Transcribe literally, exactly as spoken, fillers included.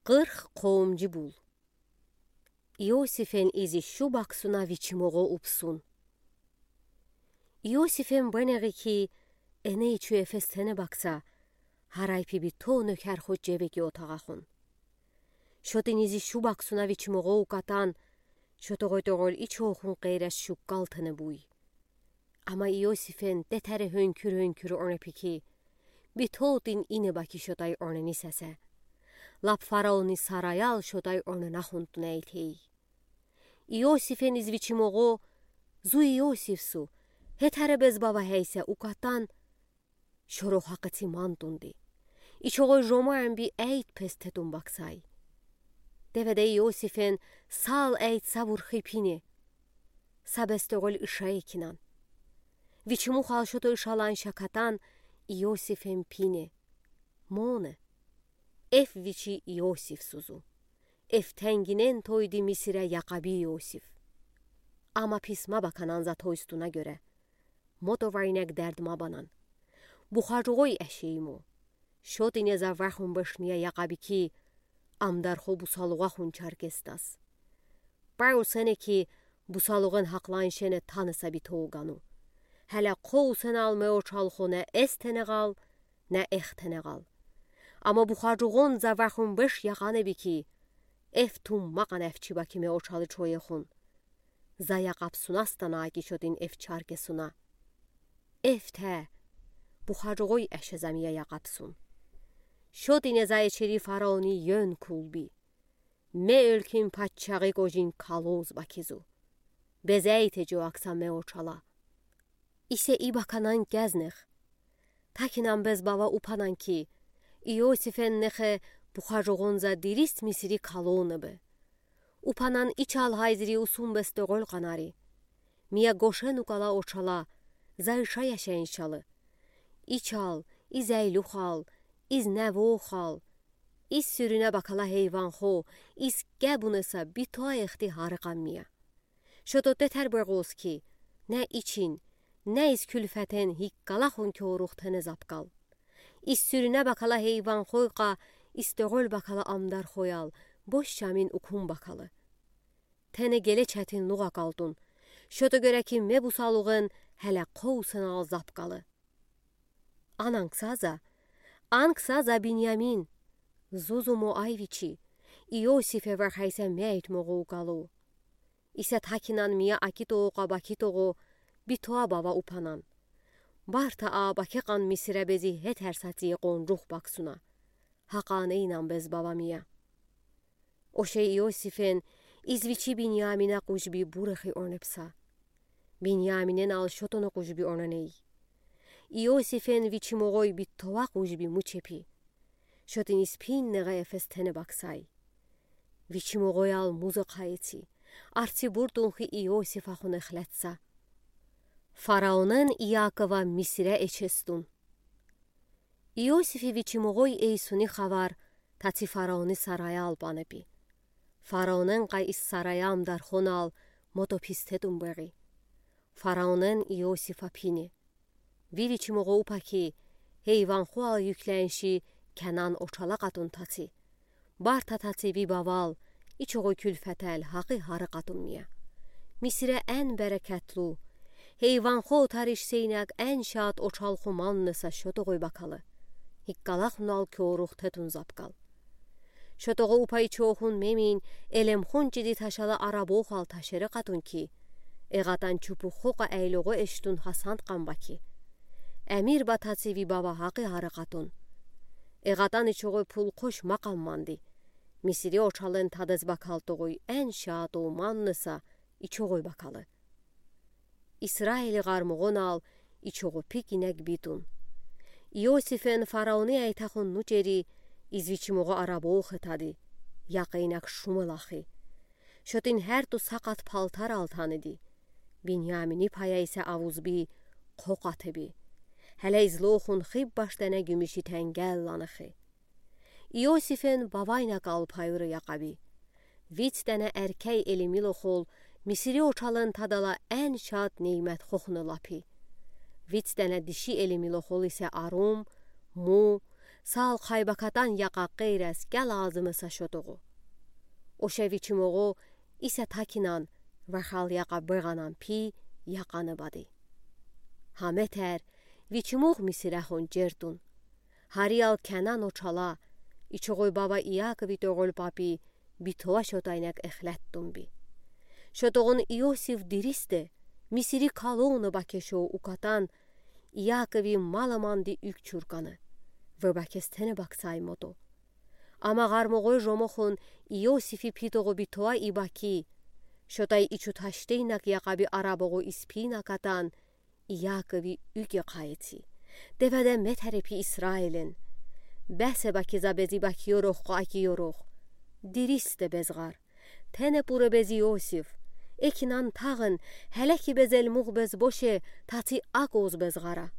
Qırx qovumcu bul. İosifən izi şu baksuna viçimoğo upsun. İosifən bənəği ki, ene içü efes tenə baksa, haray pi bito nökər xo cevegi otağaxun. Şotin izi şu baksuna viçimoğo ukatan, şotoğoy toğol içoxun qeyrəş şuqqal tenə buy. Ama İosifən detəri hönkür-hönkür onə pi ki, bitotin inə baki şotay onəni səsə. Lap faraoni sarayal şotay onə naxuntun əytey. İosifən iz viçimoğo, zu İosif su, hetərə bez bava həysə ukatan, şoro haqıti mantundi. İçoğoy jomaən bi əyt pes tetun baksay. Devedə İosifən sal əyt savurxi pini. Sa bestoğol ışa ekinan. Viçimuxal şoto ışalan şakatan İosifən pini. Mone. Ef viçi İosif suzu. Ef tənginən toydi Misirə yaqabi İosif. Ama pis mabakanan za toystunə görə. Moto vaynəq dərd mabanan. Buxacoğoy əşeymo. Şotinə za vaxun beşniyə yaqabi ki, amdarxo busaluğaxun çarkestas. Pəy usənə ki, busaluğon haqlan şenə tanısa bito qanu. Hələ qo usənal me oçalxo nə estenəğal, nə extenəğal. Ama buxacoğon za vaxun beş yaqanə bi ki, ef tum maqan əfçi baki me oçalı çoyexun. Za yaqapsuna stana ki şotin ef çarkesuna. Eftə, buxacoğoy əşə za miyə yaqapsun. Şotinə za eçeri faraoni yön kulbi. Me ölkin paççağı qocin kaloz bakizu. Bezəyte co aksa me oçala. İsə i bakanan gəznex. Takinan bez bava upanan ki, İosifən nexə buxacoğon za dirist Misiri kalonıbı. Upanan İçal hayziri usun bestoğol qanari. Miyə qoşen uqala oçala, za ışa yaşayın şalı. İçal, iz əyluxal, iz nəvoxal, iz sürünə bakala heyvanxo, iz qəbunəsə bitoə exti harıqan miyə. Şoto detər beğoz ki, nə için, nə iz külfətən hiqqalaxun koruxtene zapqal. İz sürünə bakala heyvanxoyqa, iz toğol bakala amdarxoyal, boş şamin ukun bakalı. Tene qelə çətinluğ aqaltun. Şoto görə ki, me busaluğon hələ qo usənal zapqalı. Ananqsaza, anqsaza Binyamin, zuzumo ay viçi, İosifə vəxəysə me əytmoğo uqalı. İsə takinan miyə akitoğo qa bakitoğo, bitoə bava upanan. Barta a bakeqan Misirə bezi hetər satıye qoncux baksuna. Haqaneynan bez bava miyə. Oşe İosifən iz viçi Binyaminə qucbi burexi onepsa. Binyaminən al şotonə qucbi onəney. İosifən viçimoğoy bitoə qucbi muçepi. Şotin iz pin neğə efes tenə baksay. Viçimoğoyal muzıqayeti. Arti burtunxi İosifəxun exlətsə. Faraonən İakova Misirə eçestun. İosifi viçimoğoy eysuni xavar taçı faraoni sarayal banebi. Faraonən qa iz saraya amdarxonal moto pistetun beği. Faraonən İosifə pini. Vi viçimoğo upa ki, heyvanxoal yüklənşi Kənan oçala qatun taçı. Barta taçı vi baval, içoğoy külfətəl haqi harı qatun miyə. Misirə ən bərəkətlu, heyvanxo otarış seynək ən şaat oçalxo mannısa şotoğoy bakalı. Hiqqalaxunal koruxtetun zapqal. Şotoğo upa içoxun memin, elemxun cidi taşalı araboxal taşerə qatun ki, eğatan çupuxoqa əyloğo eştun hasantqan baki. Əmir ba taçı vi bava haqi harı qatun. Eğatan içoğoy pul qoşmaqan mandi. Misiri oçalın tadız bakaltoğoy ən şaat o mannısa içoğoy bakalı. İsraili ğarmoğonal içoğo pik inək bitun. İosifen faraoni əytəxun nuceri iz viçimoğo arabox etadi, yaqi inək şumılaxi. Şotin hərtu saqat paltaral tanıdi. Binyamini paya isə avuzbi qoqatıbi. Hələ izloxun xib baş dənə gümüşi təngəl lanıxi. İosifen bavaynə qalpayurı yaqabi. Viç dənə ərkəy elimiloxol Misiri oçalın tadala ən şad neymətxoxunı lapi. Viç dənə dişi elimiloxol isə arum, mu, саал хайбакатан яка къейрез кялазымса шотогъу. Оша вичмогъу иса такинан вахал яка бегъанан пи якъаны бади. Гьа метер вичмух Мисирахун ҷертун. Гьариял Кенан очала, ичугъуй баба Иакови тоголь папи, битова шотайнек эхлеттун би. Шотогъун Иосиф диристе, Мисири калуна бакешо укатан, Иакови маламанди уьк чуркана. Вебакес тенебаксай мото. Ама гъармогъой жомохун Иосифи питогъу битова ибаки, шотай ичу таштейнак якъаби арабогъу испина катан, Иакови уьге къайци. Деведе метере пи Исраилин. Бесе баки за бези баки ёрох къаки ёрох. Диристе безгъар. Тене пура бези Иосиф. Экинан тагъын, гьелеки безел мугъ безбоше, таци акъуз безгъара.